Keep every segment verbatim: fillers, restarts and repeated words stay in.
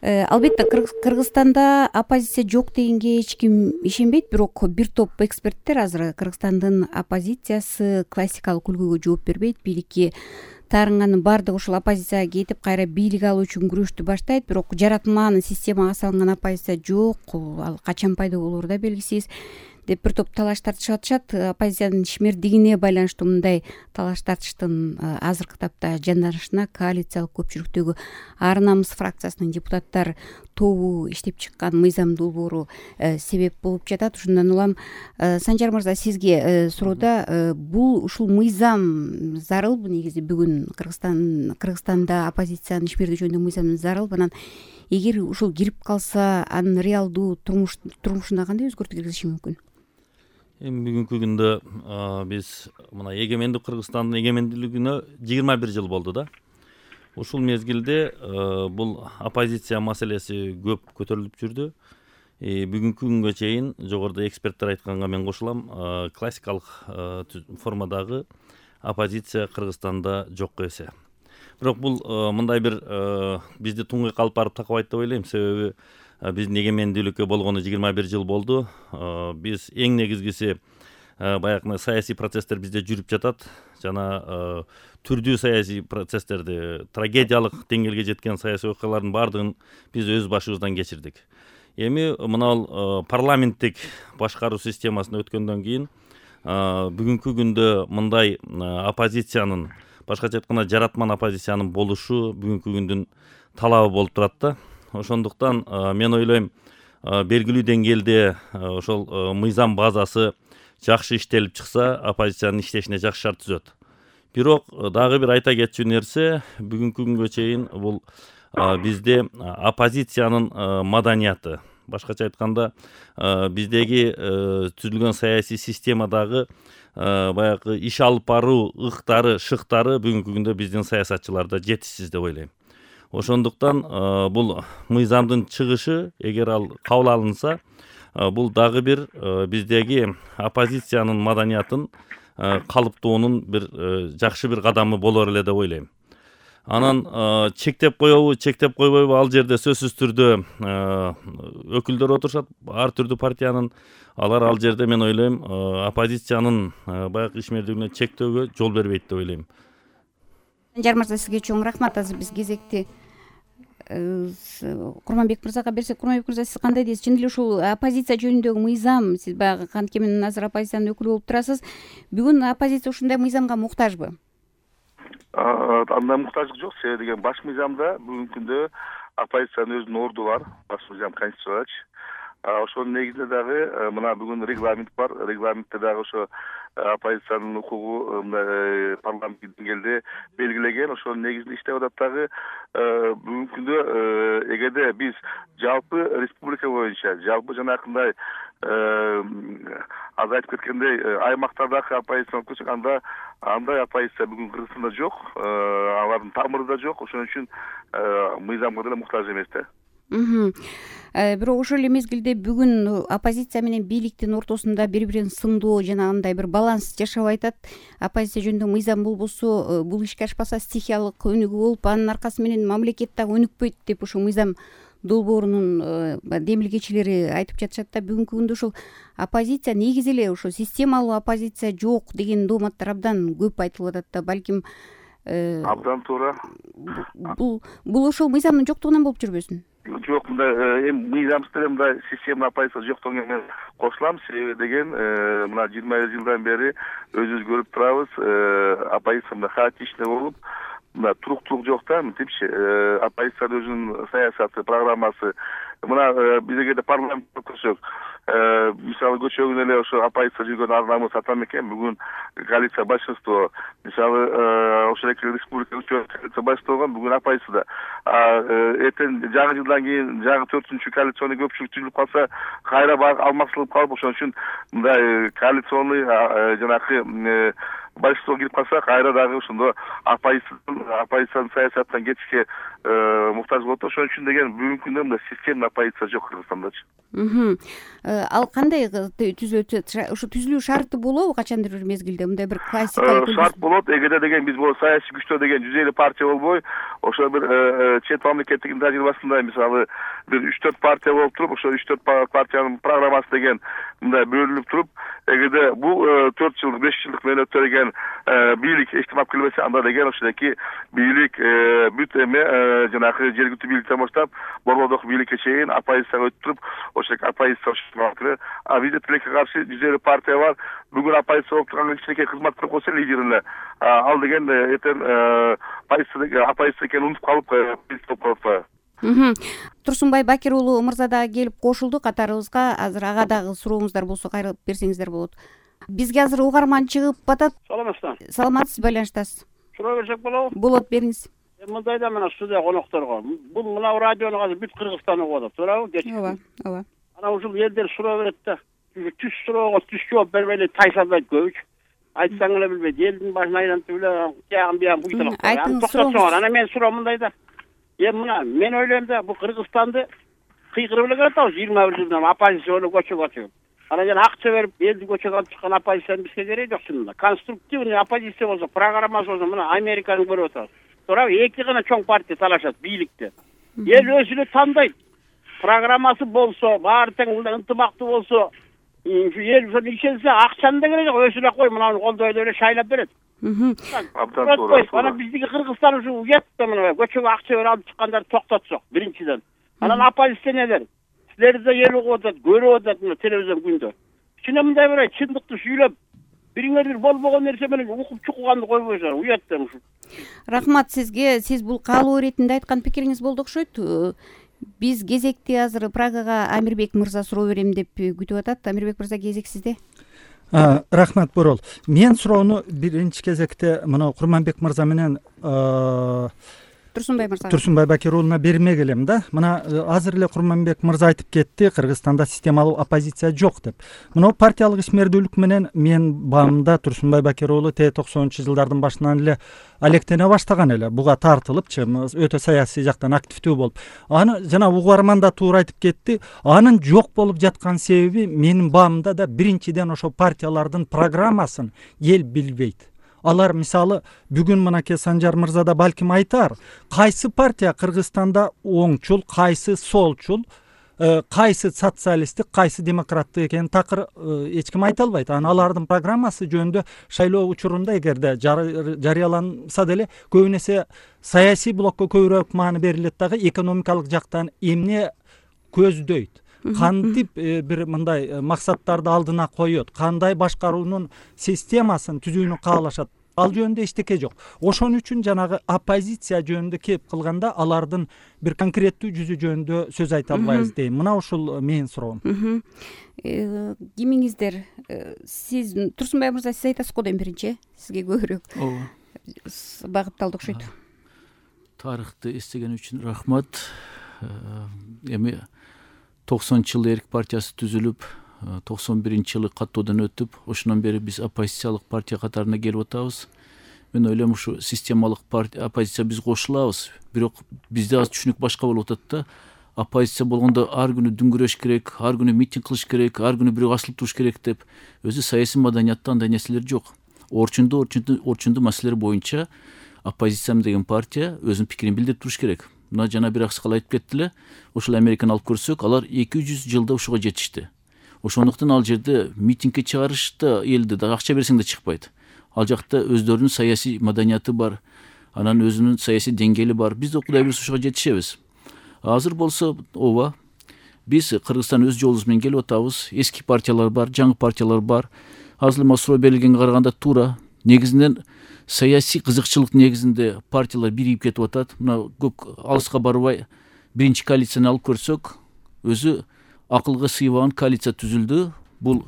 Албетте Кыргызстанда оппозиция жок дегенге эч ким ишенбейт, бирок бир топ эксперттер азыр Кыргызстандын оппозициясы классикалык үлгүгө жооп бербейт, бийликке таарынганын баардыгы ушул оппозицияга кетип кайра бийлик алуу үчүн күрөштү баштайт, бирок жаратманын системага салынган оппозиция жок, ал качан пайда болору да белгисиз деп бир топ талаш тартышып атышат. Оппозициянын ишмердигине байланыштуу мындай талаш тартыштын азыркы тапта жанданышына коалициялык көпчүлүктөгү Ар намыс фракциясынын депутаттар тобу иштеп чыккан мыйзам долбоору себеп болуп жатат. Ушундан улам Санжар мырза, сизге суроодо бул ушул мыйзам зарылбы? Негизи бүгүн Кыргызстан Кыргызстанда оппозициянын ишмердиги жөнүндөгү мыйзам зарылбы? Анан эгер ушул кирип калса, анын реалдуу турмуш турмушуна кандай өзгөртүү киргизиши мүмкүн? Эми бүгүнкү күндө биз мына эгемендик Кыргызстандын эгемендүүлүгүнө жыйырма бир жыл болду да. Ушул мезгилде бул оппозиция маселеси көп көтөрүлүп жүрдү. Бүгүнкү күнгө чейин жогоруда эксперттер айтканга мен кошулам, классикалык формадагы оппозиция Кыргызстанда жокко эсе. Бирок бул мындай бир бизди туңгуйукка алып барып такабайт деп ойлойм. Себеби биздин эгемендүүлүккө болгону жыйырма бир жыл болду. Биз эң негизгиси баягы саясий процесстер бизде жүрүп жатат. Жана түрдүү саясий процесстерди, трагедиялык деңгээлге жеткен саясий окуялардын баардыгын биз өз башыбыздан кечирдик. Эми мына парламенттик башкаруу системасына өткөндөн кийин бүгүнкү күндө мындай оппозициянын, башкача айтканда жаратман оппозициянын болушу бүгүнкү күндүн талабы болуп турат да. Ошондуктан мен ойлойм, белгилүү деңгээлде ошол мыйзам базасы жакшы иштелип чыкса, оппозициянын иштешине жакшы шарт түзөт. Бирок дагы бир айта кетчү нерсе, бүгүнкү күнгө чейин бул бизде оппозициянын маданияты, башкача айтканда биздеги түзүлгөн саясий системадагы баягы иш алып баруу ыктары, шыктары бүгүнкү күндө биздин саясатчыларда жетишсиз деп ойлойм. Ошондуктан бул мыйзамдын чыгышы, эгер ал кабыл алынса, бул дагы бир биздеги оппозициянын маданиятын калыптоонун бир жакшы бир кадамы болор эле деп ойлойм. Анан чектеп коебу, чектеп койбойбу, ал жерде сөзсүз түрдө өкүлдөр отурушат, ар түрдүү партиянын. Алар ал жерде мен ойлойм, оппозициянын баягы ишмердигине чектөөгө жол бербейт деп ойлойм. Санжар мырза, сизге чоң рахмат. Азыр биз кезекти Курманбек мырзага берсек. Курманбек мырза, сиз кандай дейсиз? Чын эле ушул оппозиция жөнүндөгү мыйзам, сиз баягы канткемен азыр оппозициянын өкүлү болуп турасыз. Бүгүн оппозиция ушундай мыйзамга муктажбы? Андай муктаждык жок. Себеби деген баш мыйзамда бүгүнкү күндө оппозициянын өзүнүн орду бар. Баш мыйзам конституцияч. Ошонун негизинде дагы мына бүгүн регламент бар. Регламентте дагы ошо оппозициянын укугу парламенттик деңгээлде белгилеген. Ошонун негизинде иштеп атат дагы. Бүгүнкү күндө эгерде биз жалпы республика боюнча, жалпы жанакындай аз айтып кеткендей аймактардагы оппозицияны алып келсек, анда андай оппозиция бүгүн Кыргызстанда жок, алардын тамыры да жок. Ошон үчүн мыйзамга деле муктаж эмес да. Бирок ошол эле мезгилде бүгүн оппозиция менен бийликтин ортосунда бири бирин сындоо жана андай бир баланс жашап атат. Оппозиция жөнүндө мыйзам болбосо, бул ишке ашпаса стихиялык өнүгүү болуп, анын аркасы менен мамлекет дагы өнүкпөйт деп ошо мыйзам долбоорунун демилгечилери айтып жатышат да. Бүгүнкү күндө ушул оппозиция негизи эле ошо системалуу оппозиция жок деген дооматтар абдан көп айтылып атат да. Балким абдан туура. Бул бул ошол мыйзамдын жоктугунан болуп жүрбөсүн? Жок, мындай эми мыйзамсыз деле мындай система оппозиция жоктугуна мен кошулам. Себеби деген мына жыйырма жылдан бери өзүбүз көрүп турабыз, оппозиция мындай хаотичный болуп, мына туруктуулук жок да, мынтипчи. Оппозициянын өзүнүн саясаты, программасы. Мына биз эгерде парламентте көрсөк, мисалы көчөгүн эле ошо оппозиция жүргөн Ар намыс Атамекен бүгүн коалиция большинство. Мисалы ошол эки республика коалиция большинство болгон, бүгүн оппозицияда. Эртең жаңы жылдан кийин жаңы төртүнчү коалиционный көпчүлүк түзүлүп калса, кайра алмакчылык калып, ошон үчүн мындай коалиционный жанакы большинство кирип калса, кайра дагы ошондо оппозициянын оппозициянын саясатынан кетишке муктаж болот. Ошон үчүн деген бүгүнкү күндө мындай системный оппозиция жок Кыргызстандачы. Ал кандай түзүлөт? Ошо түзүлүү шарты болобу качандыр бир мезгилде мындай бир классикалык шарт болот. Эгерде деген биз бул саясий күчтөр деген жүз элүү партия болбой, ошо бир чет мамлекеттин тажрыйбасында мисалы бир үч төрт партия болуп туруп, ошо үч төрт партиянын программасы деген мындай бөлүнүп туруп, эгерде бул төрт жылдык беш жылдык мөөнөттө деген бийлик эчтеме алып келбесе, анда деген ошодоки бийлик бүт эме жанагы жергиликтүү бийликтен баштап борбордук бийликке чейин оппозицияга өтүп туруп, ошодоки оппозиция а бизде тилекке каршы жүз элүү партия бар. Бүгүн оппозиция болуп турган кичинекей кызмат коркосо лидерине ал деген эртең оппозиция экенин унутуп калып болуп калып атпайбы? Турсунбай Бакир уулу мырза дагы келип кошулду катарыбызга. Азыр ага дагы сурооңуздар болсо кайрылып берсеңиздер болот. Бизге азыр угарман чыгып атат. Саламатсызбы? Саламатсыз, байланыштасыз. Суроо берсек болобу? Болот, бериңиз. Мындай да мына студия конокторго бул мына радиону азыр бүт Кыргызстан угуп атат, туурабы? Ооба, ооба. Ana ушул элдер суроо берет да. Түз суроого түз жооп бербей эле тайсалбайт көбүчү. Айтсаң эле билбейт. Элдин башын айлантып эле тиягын биягын буйталап коет. Токтотсоңор. Ана мен суроо мындай да. Эми мына мен ойлойм да, бул Кыргызстанды кыйкырып эле келатабыз жыйырма бир жылдан оппозицияны көчөгө атып. Анан жана акча берип элди көчөгө алып чыккан оппозициянын бизге кереги жок чынында. Конструктивный оппозиция болсо, программасы болсо мына Американы көрүп атабыз. Туурабы? Эки гана чоң партия талашат бийликте. Эл өзүнө тандайт. Программасы болсо, баары тең мындай ынтымактуу болсо, эл ошону ишенсе, акчаны да кереги жок, өзүнө кой, мына колдой эле шайлап берет. Абдан туура. Анан биздики Кыргызстан ушу уят да мына көчөгө акча берип алып чыккандарды токтотсок, биринчиден. Анан оппозиционерлер силерди да эл угуп атат, көрүп атат мына телевизион күндө. Кичине мындай бир чындыкты сүйлөп, бириңер бир болбогон нерсе менен укуп чукуганды койбойсуңар, уят да ушу. Рахмат сизге. Сиз бул каалоо иретинде айткан пикириңиз болду окшойт. Биз кезекти азыр Прагага Амирбек мырза суроо берем деп күтүп атат. Амирбек мырза, кезек сизде. Рахмат Борол. Мен суроону биринчи кезекте мына Курманбек мырза менен Турсунбай мырза Турсунбай Бакир уулуна бермек элем да. Мына азыр эле Курманбек мырза айтып кетти, Кыргызстанда системалуу оппозиция жок деп. Мына партиялык ишмердүүлүк менен мен баамда Турсунбай Бакир уулу Т токсонунчу жылдардын башынан эле алектене баштаган эле. Буга тартылыпчы, өтө саясий жактан активдүү болуп. Аны жана угарман да туура айтып кетти. Анын жок болуп жаткан себеби менин баамда да биринчиден ошо партиялардын программасын эл билбейт. Алар мисалы бүгүн мынакей Санжар мырза да балким айтар, кайсы партия Кыргызстанда оңчул, кайсы солчул, кайсы социалисттик, кайсы демократтык экенин такыр эч ким айта албайт. Анан алардын программасы жөнүндө шайлоо учурунда эгерде жарыяланса деле көбүн эсе саясий блокко көбүрөөк маани берилет дагы, экономикалык жактан эмне көздөйт, кантип бир мындай максаттарды алдына коет, кандай башкаруунун системасын түзүүнү каалашат, ал жөнүндө эчтеке жок. Ошон үчүн жанагы оппозиция жөнүндө кеп кылганда алардын бир конкреттүү жүзү жөнүндө сөз айта албайбыз дейм. Мына ушул менин суроом. Кимиңиздер? Сиз Турсунбай мырза, сиз айтасыз го дейм биринчи. Сизге көбүрөөк багытталды окшойт. Тарыхты эстеген үчүн рахмат. Эми токсонунчу жылы Эрк партиясы түзүлүп, токсон биринчи жылы каттоодон өтүп, ошондон бери биз оппозициялык партия катарына келип атабыз. Мен ойлойм, ушу системалык партия оппозиция биз кошулабыз, бирок бизде аз түшүнүк башка болуп атат да. Оппозиция болгондо ар күнү дүңгүрөш керек, ар күнү митинг кылыш керек, ар күнү бирөө асылып туруш керек деп. Өзү саясий маданиятта андай нерселер жок. Орчунду орчунду маселелер боюнча оппозициям деген партия өзүнүн пикирин билдирип туруш керек. Мына жана бир аксакал айтып кетти эле, ошол Американы алып көрсөк, алар эки жүз жылда ушуга жетишти. Ошондуктан ал жерде митингге чыгарышта элди да акча берсең да чыкпайт. Ал жакта өздөрүнүн саясий маданияты бар, анан өзүнүн саясий деңгээли бар. Биз да кудай буйруса ушуга жетишебиз. Азыр болсо, ооба, биз Кыргызстан өз жолубуз менен келип атабыз. Эски партиялар бар, жаңы партиялар бар. Азыр эле суроо берилгенге караганда туура. Негизинен саясий кызыкчылык негизинде партиялар биригип кетип атат. Мына көп алыска барбай биринчи коалицияны алып көрсөк, өзү акылга сыйбаган коалиция түзүлдү. Бул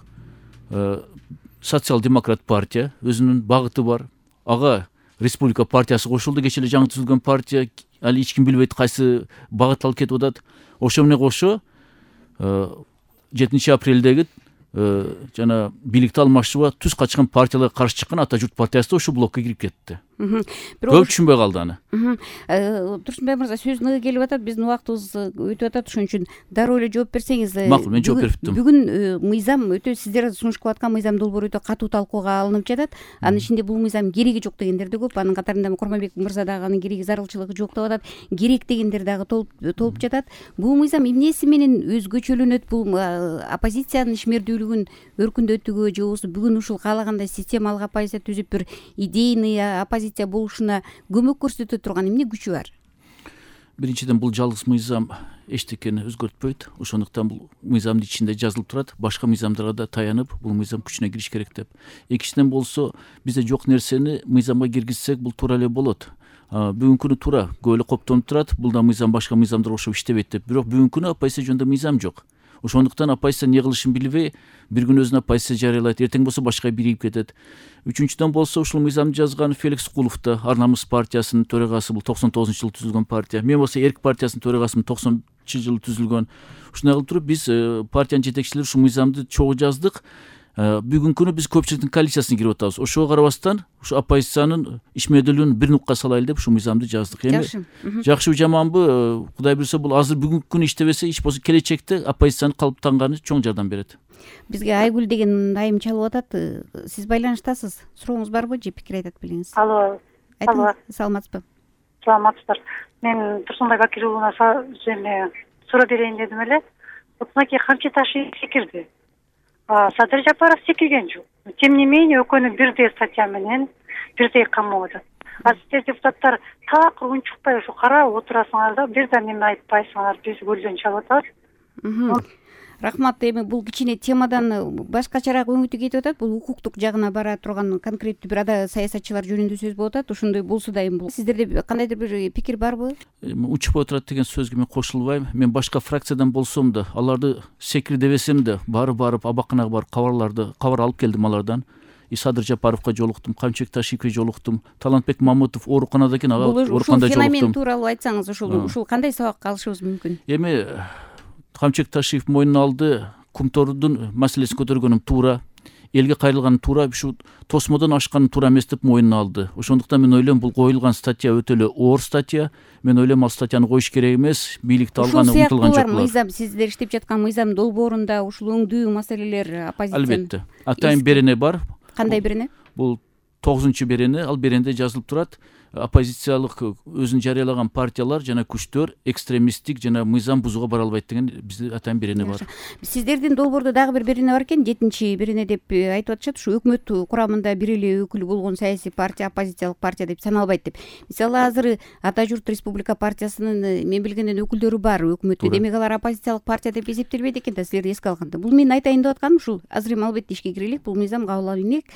социал-демократ партия, өзүнүн багыты бар. Ага республика партиясы кошулду, кечээ эле жаңы түзүлгөн партия, али эч ким билбейт кайсы багыт алып кетип атат. Ошо менен кошо жетинчи апрелдеги жана бийликти алмашууга түз качкан партияларга каршы чыккан Ата журт партиясы да ошол блокко кирип кетти. көп түшүнбөй калды аны. Турсунбай мырза, сөз ныгы келип атат, биздин убактыбыз өтүп атат, ошон үчүн дароо эле жооп берсеңиз. Макул, мен жооп берип туруп. Бүгүн мыйзам өтө, сиздер сунуштап аткан мыйзам долбоору өтө катуу талкууга алынып жатат. Анын ичинде бул мыйзам кереги жок дегендер да көп. Анын катарында Курманбек мырза дагы анын кереги зарылчылыгы жок деп атат. Керек дегендер дагы толуп жатат. Бул мыйзам эмнеси менен өзгөчөлөнөт? Бул оппозициянын ишмердүүлүгүн өркүндөтүүгө же болбосо бүгүн ушул каалагандай системалык оппозиция түзүп бир идейный оппозиция болушуна көмөк көрсөтө турган эмне күчү бар? Биринчиден, бул жалгыз мыйзам эчтекени өзгөртпөйт. Ошондуктан бул мыйзамдын ичинде жазылып турат. Башка мыйзамдарга да таянып, бул мыйзам күчүнө кириш керек деп. Экинчиден болсо, бизде жок нерсени мыйзамга киргизсек, бул туура эле болот. Бүгүнкү күнү туура көп эле коптонуп турат. Бул да мыйзам башка мыйзамдарга окшоп иштебейт деп. Бирок бүгүнкү күнү оппозиция жөнүндө мыйзам жок. Ошондуктан оппозиция эмне кылышын билбей, бир күн өзүнө оппозиция жарыялайт, эртең болсо башка биригип кетет. Үчүнчүдөн болсо, ушул мыйзамды жазган Феликс Кулов да, Ар намыс партиясынын төрагасы, бул токсон тогузунчу жылы түзүлгөн партия. Мен болсо Эрк партиясынын төрагасымын, токсонунчу жылы түзүлгөн. Ушундай кылып туруп биз партиянын жетекчилери ушул мыйзамды чогуу жаздык. Бүгүнкү күнү биз көпчүлүктүн коалициясына кирип атабыз. Ошого карабастан ушу оппозициянын ишмердүүлүгүн бир нукка салайлы деп ушул мыйзамды жаздык. Жакшы. Жакшыбы жаманбы, Кудай буйрса, бул азыр бүгүнкү күнү иштебесе, иш болсо келечекте оппозициянын калыптанганы чоң жардам берет. Бизге Айгүл деген айым чалып атат. Сиз байланыштасыз. Сурооңуз барбы же пикир айтат белиңиз? Алло. Алло. Саламатсызбы? Саламатсыздар. Мен Турсунбай Бакир уулуна суроо берейин дедим эле. Вот мынакей камчы ташы секирди. Садыр Жапаров секирген жок. Тем не менее, экөөнү бирдей статья менен бирдей камап атат. А сиздер депутаттар так унчукпай ушу карап отурасыңар да, бир да мени айтпайсыңар, биз көлдөн чалып атабыз. Рахмат. Эми бул кичине темадан башкачараак өңүтү кетип атат. Бул укуктук жагына бара турган конкреттүү бир ада саясатчылар жөнүндө сөз болуп атат. Ошондой болсо да эми бул сиздерде кандайдыр бир пикир барбы? Учпай турат деген сөзгө мен кошулбайм. Мен башка фракциядан болсом да, аларды секир дебесем да, бары барып абаканага барып кабарларды кабар алып келдим алардан. И Садыр Жапаровго жолуктум, Камчыбек Ташиевге жолуктум, Талантбек Мамытов ооруканада экен, ага ооруканда жолуктум. Ушул феномен тууралуу айтсаңыз, ушул ушул кандай сабак алышыбыз мүмкүн? Эми Камчыбек Ташиев мойнуна алды, Кумтордун маселесин көтөргөнүм туура, элге кайрылганым туура, ушу тосмодон ашканым туура эмес деп мойнуна алды. Ошондуктан мен ойлойм, бул коюлган статья өтө эле оор статья. Мен ойлойм, ал статьяны коюш керек эмес, бийликти алганы умтулган жок. Ушул мыйзам, сиздер иштеп жаткан мыйзам долбоорунда ушул өңдүү маселелер оппозиция. Албетте. Атайын берене бар. Кандай берене? Бул тогузунчу берене, ал беренде жазылып турат. Оппозициялык өзүн жарыялаган партиялар жана күчтөр экстремисттик жана мыйзам бузууга бара албайт деген бизде атайын берене бар. Сиздердин долбоордо дагы бир берене бар экен, жетинчи берене деп айтып атышат. Ушу өкмөт курамында бир эле өкүл болгон саясий партия оппозициялык партия деп саналбайт деп. Мисалы азыр Ата журт Республика партиясынын мен билгенден өкүлдөрү бар өкмөттө. Демек алар оппозициялык партия деп эсептелбейт экен да, силерди эске алганда. Бул мен айтайын деп атканым ушул. Азыр эми албетте ишке кирелик, бул мыйзам кабыл алынып,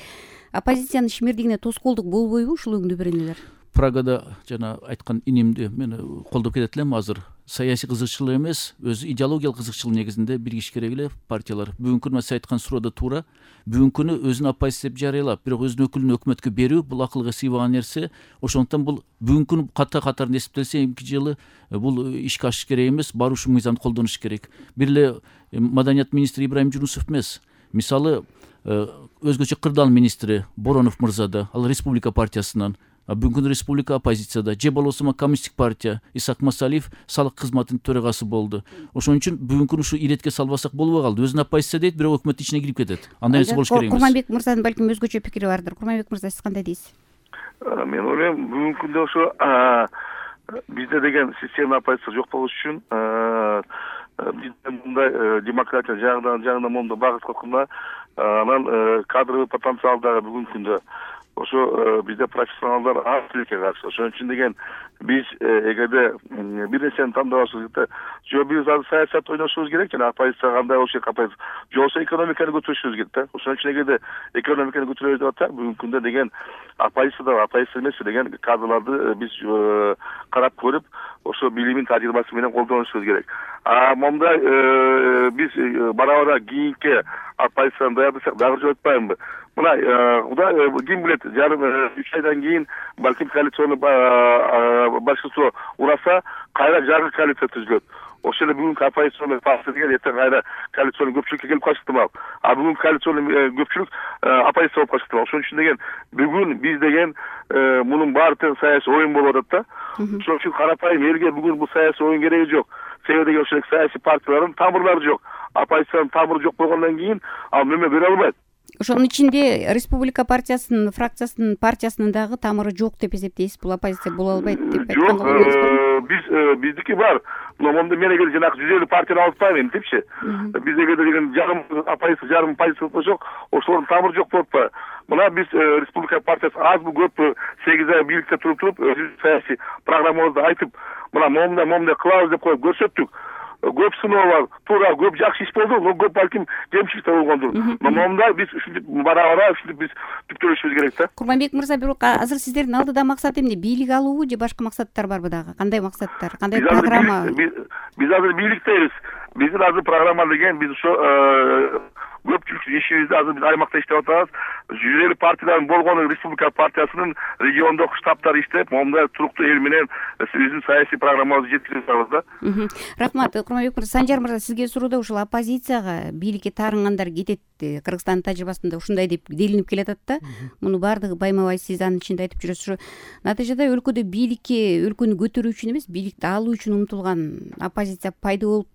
оппозициянын ишмердигине тоскоолдук болбойбу ушул өңдүү беренелер? Прагада жана айткан инимди мен колдоп кетет элем. Азыр саясий кызыкчылык эмес, өз идеологиялык кызыкчылык негизинде биригиш керек эле партиялар. Бүгүнкү күнү сиз айткан суроо да туура. Бүгүнкү күнү өзүн оппозиция деп жарыялап, бирок өзүнүн өкүлүн өкмөткө берүү бул акылга сыйбаган нерсе. Ошондуктан бул бүгүнкү күнү ката катарын эсептелсе, эмки жылы бул ишке ашыш керек эмес, бар ушул мыйзамды колдонуш керек. Бир эле маданият министри Ибраим Жунусов эмес. Мисалы өзгөчө кырдаал министри Боронов мырза да, ал Республика партиясынан, бүгүнкү республика оппозицияда, же болбосо коммунисттик партия Исак Масалиев салык кызматынын төрагасы болду. Ошон үчүн бүгүнкү ушу иретке салбасак болбой калды. Өзүн оппозиция дейт, бирок өкмөттүн ичине кирип кетет. Андай нерсе болуш керек эмес. Курманбек мырзанын балким өзгөчө пикири бардыр. Курманбек мырза, сиз кандай дейсиз? Мен ойлойм, бүгүнкү күндө ошо бизде деген система оппозиция жок болуш үчүн бизде мындай демократия жагынан жагынан моундай багыт кылганда, анан кадровый потенциал дагы бүгүнкү күндө ошо бизде профессионалдар аз тилекке каршы. Ошон үчүн деген биз эгерде бир нерсени тандабашыбыз керек, же биз азыр саясат ойношубуз керек жана оппозиция кандай болуш керек, оппозиция же болбосо экономиканы көтөрүшүбүз керек да. Ошон үчүн эгерде экономиканы көтөрөбүз деп атсак, бүгүнкү күндө деген оппозиция оппозиция эмес деген кадрларды биз карап көрүп, ошо билимин тажрыйбасы менен колдонушубуз керек. А мондай биз бара-бара кийинки оппозицияны даярдасак дагы жолотпаймынбы? Мына Кудай ким билет, жарым үч айдан кийин балким коалиционный большинство ураса, кайра жаңы коалиция түзүлөт. ошол эле бүгүнкү оппозиционный партия деген эртең кайра коалиционный көпчүлүккө келип калышы ыктымал. А бүгүнкү коалиционный көпчүлүк оппозиция болуп калышы ыктымал. Ошон үчүн деген бүгүн биз деген мунун баары тең саясий оюн болуп атат да. Ошон үчүн карапайым элге бүгүн бул саясий оюн кереги жок. Себеби деген ошол саясий партиялардын тамырлары жок. Оппозициянын тамыры жок болгондон кийин ал мөмө бере албайт. Ошонун ичинде Республика партиясынын фракциясынын партиясынын дагы тамыры жок деп эсептейсиз. Бул оппозиция боло албайт деп айткан болобуз. Биз биздики бар. Момунда мен эгер жанагы жүз элүү партияны алып атпайм энтипчи. Биз эгер деген жарым оппозиция жарым позиция болсок, ошолордун тамыры жок болуп атпайбы? Мына биз Республика партиясы азбы көппү сегиз ай бийликте туруп туруп өзүбүздүн саясий программабызды айтып, мына момундай момундай кылабыз деп коюп көрсөттүк. Көп сыноолор, туура көп жакшы иш болду, но көп балким кемчилик да болгондур. Но момундай биз ушинтип бара-бара ушинтип биз түптөлүшүбүз керек да. Курманбек мырза, бирок азыр сиздердин алдыда максат эмне? Бийлик алуубу же башка максаттар барбы дагы? Кандай максаттар? Кандай программа? Биз азыр бийликтебиз. Биздин азыр программа деген биз ошо көпчүлүк ишибизди азыр биз аймакта иштеп атабыз. жүз элүү партиялардын болгону Республика партиясынын региондук штабтары иштеп, момундай туруктуу эл менен биздин саясий программабызды жеткирип атабыз да. Рахмат. Курманбек мырза, Санжар мырза, сизге суроодо ушул оппозицияга бийликке таарынгандар кетет, Кыргызстандын тажрыйбасында ушундай деп делинип келатат да. Муну баардыгы байма-бай сиз анын ичинде айтып жүрөсүз. Натыйжада өлкөдө бийликке өлкөнү көтөрүү үчүн эмес, бийликти алуу үчүн умтулган оппозиция пайда болуп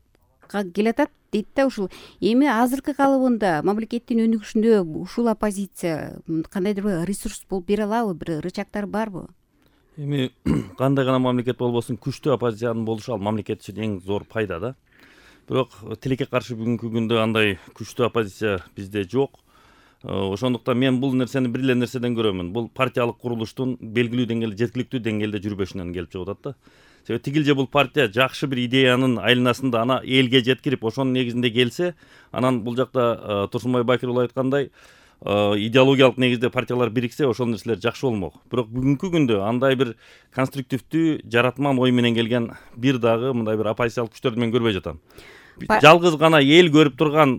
келатат дейт да. Ушул эми азыркы калыбында мамлекеттин өнүгүшүндө ушул оппозиция кандайдыр бир ресурс болуп бере алабы, бир рычагтары барбы? Эми кандай гана мамлекет болбосун, күчтүү оппозициянын болушу ал мамлекет үчүн эң зор пайда да. Бирок тилекке каршы бүгүнкү күндө андай күчтүү оппозиция бизде жок. Ошондуктан мен бул нерсени бир эле нерседен көрөмүн. Бул партиялык курулуштун белгилүү деңгээлде, жеткиликтүү деңгээлде жүрбөшүнөн келип чыгып атат да. Себеби тигилже бул партия жакшы бир идеянын айланасында ана элге жеткирип, ошонун негизинде келсе, анан бул жакта Турсунбай Бакир уулу айткандай, идеологиялык негизде партиялар бириксе, ошол нерселер жакшы болмок. Бирок бүгүнкү күндө андай бир конструктивдүү, жаратман ой менен келген бир дагы мындай бир оппозициялык күчтөрдү мен көрбөй жатам. Жалгыз гана эл көрүп турган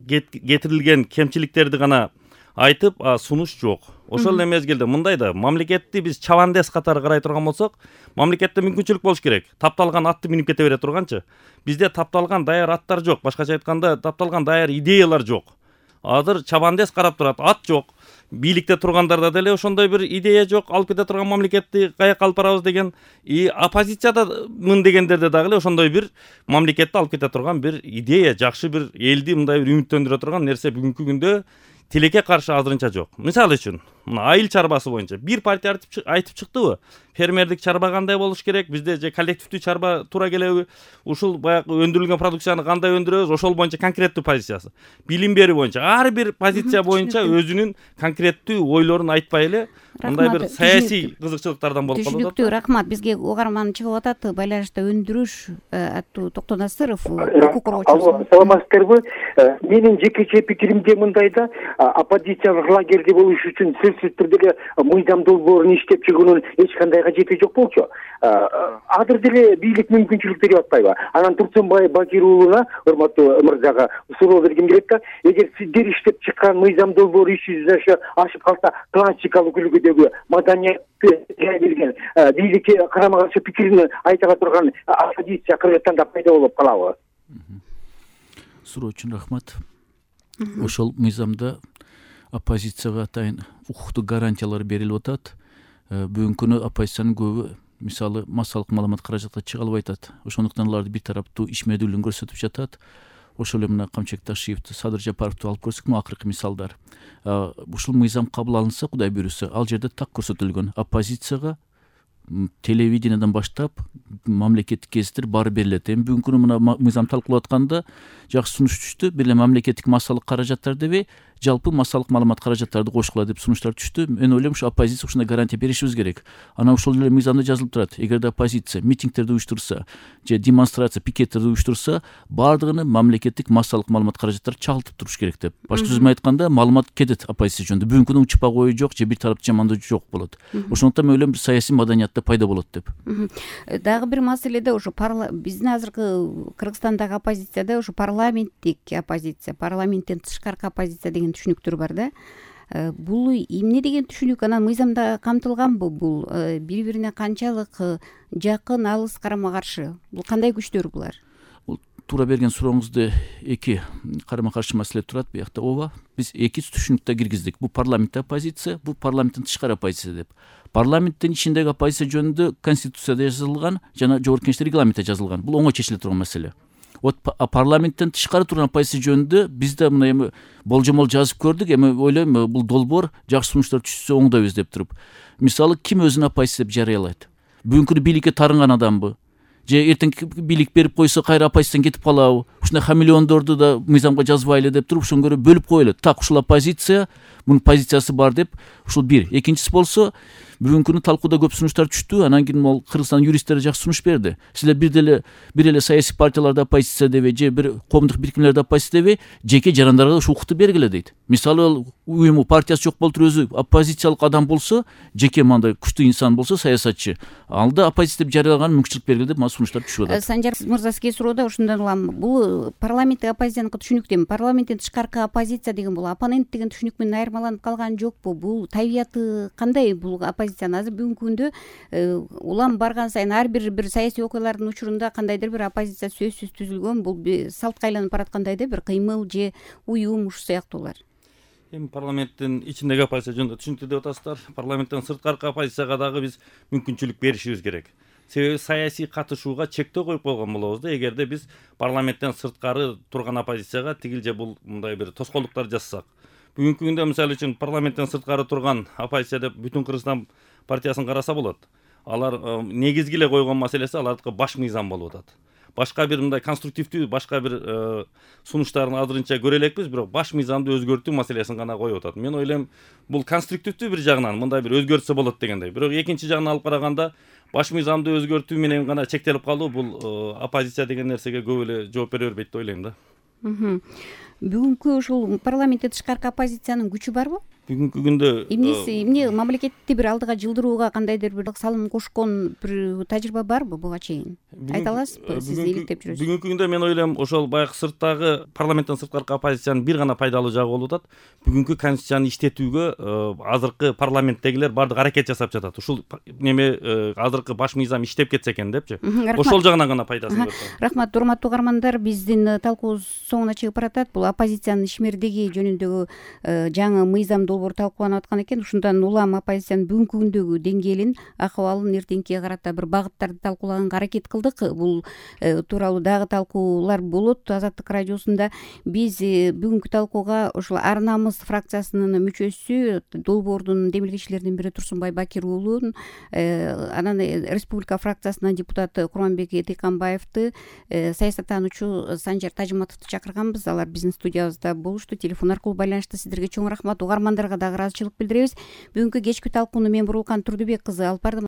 кетирилген кемчиликтерди гана айтып, сунуш жок. Ошол эле мезгилде мындай да, мамлекетти биз чабандес катары карай турган болсок, мамлекетте мүмкүнчүлүк болуш керек. Тапталган атты минип кете бере турганчы. Бизде тапталган даяр аттар жок. Башкача айтканда, тапталган даяр идеялар жок. Азыр чабандес карап турат, ат жок. Бийликте тургандарда деле ошондой бир идея жок. Алып кете турган мамлекетти каяка алып барабыз деген, и оппозициядамын дегендерде дагы эле ошондой бир мамлекетти алып кете турган бир идея, жакшы бир элди мындай бир үмүттөндүрө турган нерсе бүгүнкү күндө тилекке каршы азырынча жок. Мисалы үчүн, мына айыл чарбасы боюнча бир партия айтып чыктыбы? Фермердик чарба кандай болуш керек? Бизде же коллективдүү чарба туура келеби? Ушул баягы өндүрүлгөн продукцияны кандай өндүрөбүз? Ошол боюнча конкреттүү позициясы. Билим берүү боюнча ар бир позиция боюнча өзүнүн конкреттүү ойлорун айтпай эле мындай бир саясий кызыкчылыктардан болуп калат. Түшүнүктүү, рахмат. Бизге угарман чыгып атат, байланышта өндүрүш аттуу Токтон Насыров, укук коргоочусу. Саламатсыздарбы? Менин жекече пикиримде мындайда, оппозициялык лагерде болуш үчүн сөзсүз түрдө мыйзам долбоорун иштеп чыгуунун эч кандай кажети жок болчу. Азыр деле бийлик мүмкүнчүлүк берип атпайбы? Анан Турсунбай Бакир уулуна, урматтуу мырзага суроо бергим келет да, эгер сиздер иштеп чыккан мыйзам долбоор иши ашып калса, классикалык үлгүдөгү маданиятты жай берген бийликке карама каршы пикирин айта турган оппозиция Кыргызстанда пайда болуп калабы? Суроо үчүн рахмат. Ошол мыйзамда оппозицияга атайын укуктук гарантиялар берилип атат. Бүгүнкү күнү оппозициянын көбү мисалы массалык маалымат каражатка чыга албай атат. Ошондуктан аларды бир тараптуу ишмердүүлүгүн көрсөтүп жатат. Ошол эле мына Камчыбек Ташиевди, Садыр Жапаровду алып көрсөк, мына акыркы мисалдар. Ушул мыйзам кабыл алынса, Кудай буйруса, ал жерде так көрсөтүлгөн оппозицияга телевидениядан баштап мамлекеттик кезиттер баары берилет. Эми бүгүнкү күнү мына мыйзам талкуулап атканда жакшы сунуш түштү. Бир эле мамлекеттик массалык каражаттар деби, жалпы массалык маалымат каражаттарды кошкула деп сунуштар түштү. Мен ойлойм, ушу оппозиция ушундай гарантия беришибиз керек. Анан ошол эле мыйзамда жазылып турат. Эгерде оппозиция митингтерди уюштурса, же демонстрация, пикеттерди уюштурса, баардыгыны мамлекеттик массалык маалымат каражаттары чагылтып туруш керек деп. Башка сөз менен айтканда, маалымат кетет оппозиция жөнүндө. Бүгүнкү күнү учпак ою жок, же бир тараптуу жамандоо жок болот. Ошондуктан мен ойлойм, бир саясий маданиятта пайда болот деп. Дагы бир маселеде ошо биздин азыркы Кыргызстандагы оппозицияда ошо парламенттик оппозиция, парламенттен тышкаркы оппозиция деген түшүнүктөр бар да. Бул эмне деген түшүнүк? Анан мыйзамда камтылганбы бул? Бири-бирине канчалык жакын, алыс, карама каршы? Бул кандай күчтөр булар? туура берген сурооңузда эки карама каршы маселе турат биякта. ооба, биз эки түшүнүктө киргиздик. Бул парламенттик оппозиция, бул парламенттин тышкары оппозиция деп. Парламенттин ичиндеги оппозиция жөнүндө конституцияда жазылган жана жогорку кеңеште регламентте жазылган. Бул оңой чечиле турган маселе. Вот парламенттен тышкары турган оппозиция жөнүндө биз да мына эми болжомол жазып көрдүк. Эми ойлойм, бул долбоор жакшы сунуштар түшсө оңдойбуз деп туруп. Мисалы, ким өзүн оппозиция деп жарыялайт? Бүгүнкү бийликке тарынган адамбы? Же эртең бийлик берип койсо кайра оппозициядан кетип калабы? Ушундай хамелеондорду да мыйзамга жазбайлы деп туруп ошону көрө бөлүп коелу. Так, ушул оппозиция, мунун позициясы бар деп. Ушул бир. Экинчиси болсо, бүгүнкү талкууда көп сунуштар түштү. Анан кийин могул Кыргызстан юристтери жакшы сунуш берди. Силер бир деле бир эле саясий партияларда оппозиция дебей, же бир коомдук бирикмелерде оппозиция дебей, жеке жарандарга ушул укукту бергиле дейт. Мисалы, уюму, партиясы жок болтуруп өзү оппозициялык адам болсо, жеке мындай күчтүү инсан болсо, саясатчы, алда оппозиция деп жарыялаган мүмкүнчүлүк бергиле деп сунуштар түшүп атат. Санжар мырза, сизге суроода ушундан улам, бул парламенттик оппозицияныкы түшүнүктү. Парламенттин тышкаркы оппозиция деген бул оппонент деген түшүнүк менен айырмаланып калган жокпу? Бул табияты кандай бул оппозициянын? Азыр бүгүнкү күндө улам барган сайын ар бир бир саясий окуялардын учурунда кандайдыр бир оппозиция сөзсүз түзүлгөн, бул салтка айланып бараткандай да бир кыймыл же уюм ушу сыяктуулар. Эми парламенттин ичиндеги оппозиция жөнүндө түшүнүктүү деп атасыздар. Парламенттен сырткаркы оппозицияга дагы биз мүмкүнчүлүк беришибиз керек. Себеби саясий катышууга чектөө коюп койгон болобуз да, эгерде биз парламенттен сырткары турган оппозицияга тигил же бул мындай бир тоскоолдуктар жасасак. Бүгүнкү күндө мисалы үчүн парламенттен сырткары турган оппозиция деп бүтүн Кыргызстан партиясын караса болот. Алар негизги эле койгон маселеси алардыкы баш мыйзам болуп атат. Башка бир мындай конструктивдүү, башка бир сунуштарын азырынча көрө элекпиз, бирок баш мыйзамды өзгөртүү маселесин гана коюп атат. Мен ойлойм, бул конструктивдүү бир жагынан мындай бир өзгөртсө болот дегендей. Бирок экинчи жагынан алып караганда, баш мыйзамды өзгөртүү менен гана чектелип калуу бул оппозиция деген нерсеге көп эле жооп бере бербейт деп ойлойм да. Бүгүнкү ушул парламенттен тышкаркы оппозициянын күчү барбы? Бүгүнкү күндө эмнеси, эмне мамлекетти бир алдыга жылдырууга кандайдыр бир салым кошкон бир тажрыйба барбы буга чейин? Айта аласызбы? Сиз иликтеп жүрөсүз. Бүгүнкү күндө мен ойлойм, ошол баягы сырттагы парламенттен сырткаркы оппозициянын бир гана пайдалуу жагы болуп атат. Бүгүнкү конституцияны иштетүүгө азыркы парламенттегилер баардык аракет жасап жатат. Ушул неме азыркы баш мыйзам иштеп кетсе экен депчи. Ошол жагынан гана пайдасын көрсөт. Рахмат, урматтуу угармандар, биздин талкуубуз соңуна чыгып баратат. Бул оппозициянын ишмердиги жөнүндөгү жаңы мыйзам долбоор талкууланып аткан экен. Ушундан улам оппозициянын бүгүнкү күндөгү деңгээлин, акыбалын эртеңкиге карата бир багыттарды талкуулаганга аракет кылдык. Бул тууралуу дагы талкуулар болот Азаттык радиосунда. Биз бүгүнкү талкууга ушул Ар намыс фракциясынын мүчөсү, долбоордун демилгечилеринин бири Турсунбай Бакир уулун, анан Республика фракциясынын депутаты Курманбек Тыйканбаевди, саясаттануучу Санжар Тажыматовду чакырганбыз. Алар биздин студиябызда болушту, телефон аркылуу байланышты. Сиздерге чоң рахмат. Угармандарга дагы ыраазычылык билдиребиз. Бүгүнкү кечки талкууну мен Бурулкан Турдубек кызы алып бардым.